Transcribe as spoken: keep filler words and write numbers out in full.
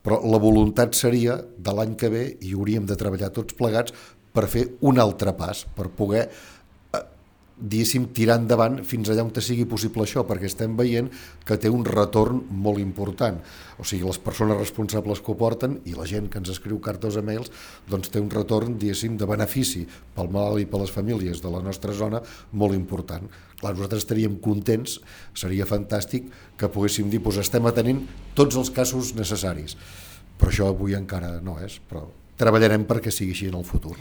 però la voluntat seria de l'any que ve, i hauríem de treballar tots plegats per fer un altre pas, per poder diguéssim, tirar endavant fins allà on te sigui possible això, perquè estem veient que té un retorn molt important. O sigui, les persones responsables que ho porten i la gent que ens escriu cartes o mails, doncs té un retorn, diguéssim, de benefici pel malalt i per les famílies de la nostra zona molt important. Clar, nosaltres estaríem contents, seria fantàstic que poguéssim dir, doncs estem atenent tots els casos necessaris. Però això avui encara no és, però treballarem perquè sigui així en el futur.